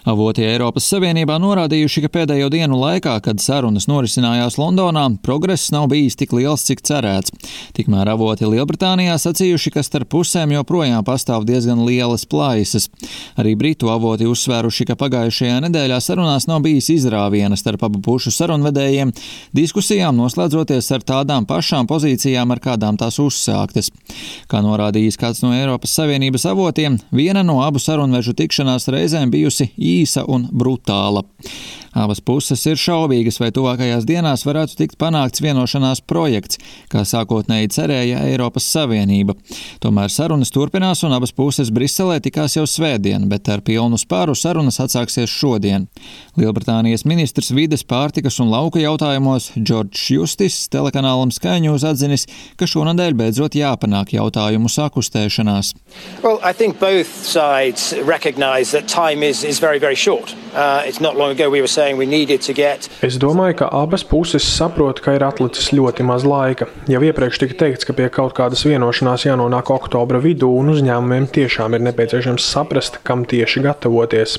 Avoti Eiropas Savienībā norādījuši, ka pēdējo dienu laikā, kad sarunas norisinājās Londonā, progress nav bijis tik liels, cik cerēts. Tikmēr avoti Lielbritānijā sacījuši, ka starp pusēm joprojām pastāv diezgan lielas plaisas. Arī britu avoti uzsvēruši, ka pagājušajā nedēļā sarunās nav bijis izrāviena starp abu pušu sarunvedējiem, diskusijām noslēdzoties ar tādām pašām pozīcijām, ar kādām tās uzsāktas. Kā norādījis kāds no Eiropas Savienības avotiem, viena no abu sarunvežu tikšanās reizēm bijusi īsa un brutāla. Abas puses ir šaubīgas, vai tuvākajās dienās varētu tikt panākts vienošanās projekts, kā sākotnēji cerēja Eiropas Savienība. Tomēr sarunas turpinās un abas puses Briselē tikās jau svētdien, bet ar pilnu spāru sarunas atsāksies šodien. Lielbritānijas ministrs vides, pārtikas un lauka jautājumos Džordžs Justis telekanālam Sky News atzinis, ka šonadēļ beidzot jāpanāk jautājumu sakustēšanās. Well, I think both sides recognize that time is very, very short. It's not long ago we were saying we needed to get. Es domāju, ka abas puses saprot, ka ir atlicis ļoti maz laika. Jau iepriekš tika teikts, ka pie kaut kādas vienošanās jānonāk oktobra vidū un uzņēmumiem tiešām ir nepieciešams saprast, kam tieši gatavoties.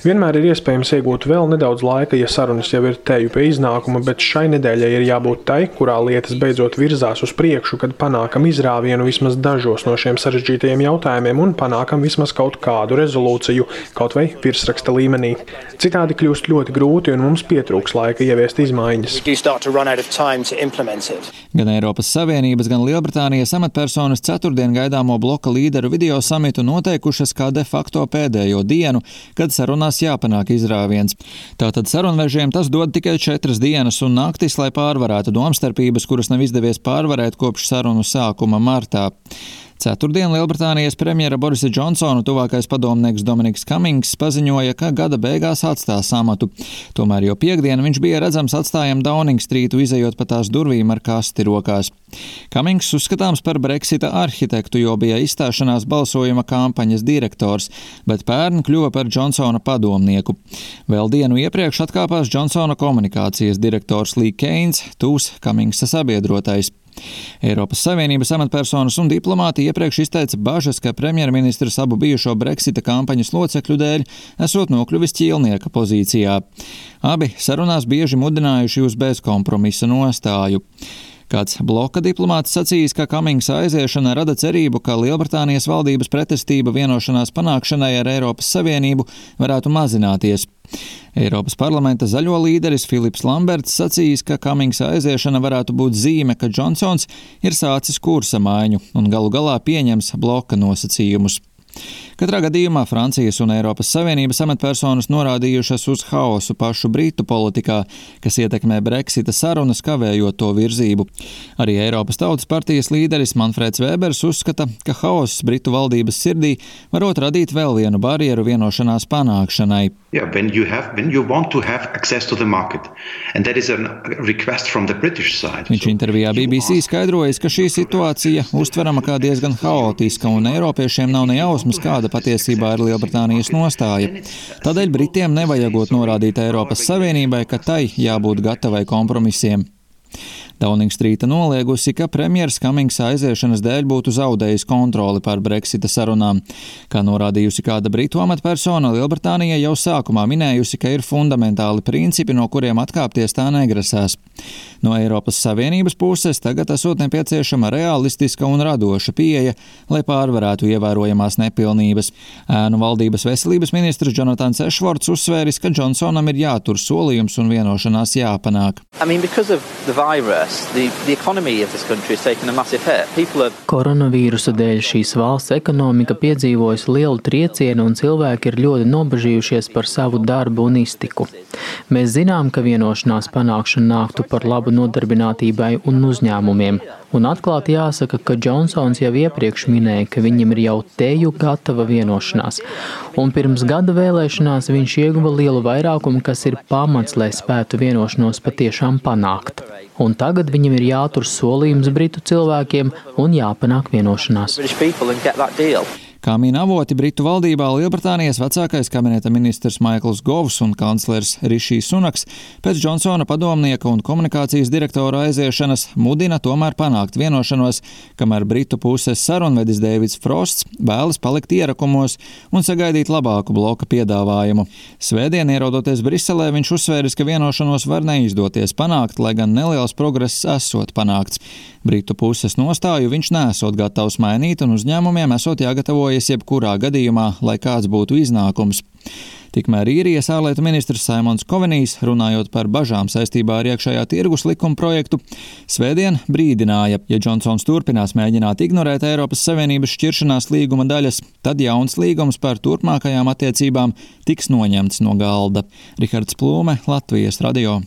Vienmēr ir iespējams iegūt vēl nedaudz laika, ja sarunas jau ir teju pie iznākuma, bet šai nedēļai ir jābūt tai, kurā lietas beidzot virzās uz priekšu, kad panākam izrāvienu vismaz dažos no šiem sarežģītajiem jautājumiem un panākam vismaz kaut kādu rezolūciju, kaut vai virsraksta līmenī. Citādi kļūst ļoti grūti un mums pietrūks laika ieviest izmaiņas. Gan Eiropas Savienības, gan Lielbritānijas amatpersonas ceturtdien gaidāmo bloka līderu video samitu noteikušas kā de facto pēdējo dienu, kad sarunās jāpanāk izrāviens. Tātad sarunvežiem tas dod tikai 4 dienas un naktis, lai pārvarētu domstarpības, kuras nav izdevies pārvarēt kopš sarunu sākuma martā. Ceturtdien Lielbritānijas premjera Borisa Džonsona tuvākais padomnieks Dominiks Kamings paziņoja, ka gada beigās atstās amatu. Tomēr jau piekdien viņš bija redzams atstājam Downing Streetu, izejot pa tās durvīm ar kasti rokās. Kamings uzskatāms par Brexita arhitektu, jo bija izstāšanās balsojuma kampaņas direktors, bet pērn kļuva par Džonsona padomnieku. Vēl dienu iepriekš atkāpās Džonsona komunikācijas direktors Lee Keynes, tūs Kamingsa sabiedrotais. Eiropas Savienības amatpersonas un diplomāti iepriekš izteica bažas, ka premjerministrs abu bijušo Brexita kampaņas locekļu dēļ esot nokļuvis ķīlnieka pozīcijā. Abi sarunās bieži mudinājuši uz bezkompromisa nostāju. Kāds bloka diplomāts sacījis, ka Kamingsa aiziešana rada cerību, ka Lielbritānijas valdības pretestība vienošanās panākšanai ar Eiropas Savienību varētu mazināties. Eiropas parlamenta zaļo līderis Filips Lamberts sacījis, ka Kamingsa aiziešana varētu būt zīme, ka Džonsons ir sācis kursa maiņu un galu galā pieņems bloka nosacījumus. Katrā gadījumā Francijas un Eiropas Savienības amatpersonas norādījušas uz haosu pašu Britu politikā, kas ietekmē Brexita sarunas, kavējot to virzību. Arī Eiropas Tautas partijas līderis Manfreds Vēbers uzskata, ka haoss Britu valdības sirdī varot radīt vēl vienu barjeru vienošanās panākšanai. When you want to have access to the market, and that is a request from the British side. Viņš intervijā BBC skaidrojas, ka šī situācija uztverama kā diezgan haotiska un eiropiešiem nav ne jausmas, kāda patiesībā ir Lielbritānijas nostāja. Tādēļ Britiem nevajagot norādīt Eiropas Savienībai, ka tai jābūt gatavai kompromisiem. Downing Streeta noliegusi, ka premjers Kamingsa aiziešanas dēļ būtu zaudējis kontroli pār Brexita sarunām. Kā norādījusi kāda britu amatpersona, Lielbritānija jau sākumā minējusi, ka ir fundamentāli principi, no kuriem atkāpties tā negrasās. No Eiropas Savienības puses tagad esot nepieciešama realistiska un radoša pieeja, lai pārvarētu ievērojamās nepilnības. Ēnu valdības veselības ministrs Jonatans Ashwords uzsvēris, ka Džonsonam ir jātur solījums un vienošanās jāpanāk. Koronavīrusa dēļ šīs valsts ekonomika piedzīvojusi lielu triecienu un cilvēki ir ļoti nobažījušies par savu darbu un iztiku. Mēs zinām, ka vienošanās panākšana nāktu par labu nodarbinātībai un uzņēmumiem. Un atklāti jāsaka, ka Džonsons jau iepriekš minēja, ka viņam ir jau teju gatava vienošanās. Un pirms gada vēlēšanās viņš ieguva lielu vairākumu, kas ir pamats, lai spētu vienošanos patiešām panākt. Un tagad viņam ir jātur solījums Britu cilvēkiem un jāpanāk vienošanās. Kā min avoti, Britu valdībā Lielbritānijas vecākais kabineta ministrs Maikls Govs un kanclers Rišijs Sunaks pēc Džonsona padomnieka un komunikācijas direktora aiziešanas mudina tomēr panākt vienošanos, kamēr Britu puses sarunvedis Deivids Frosts vēlas palikt ierakumos un sagaidīt labāku bloka piedāvājumu. Svētdien, ierodoties Briselē, viņš uzsvēris, ka vienošanos var neizdoties panākt, lai gan neliels progress esot panākts. Britu puses nostāju viņš nesot gatavs mainīt un uzņēmumiem esot jāgatavojas jebkurā gadījumā, lai kāds būtu iznākums. Tikmēr īrijas ārlietu ministrs Simons Kovenijs, runājot par bažām saistībā ar iekšējā tirgus likuma projektu, svētdien brīdināja, ja Džonsons turpinās mēģināt ignorēt Eiropas Savienības šķiršanās līguma daļas, tad jauns līgums par turpmākajām attiecībām tiks noņemts no galda. Rihards Plūme, Latvijas radio.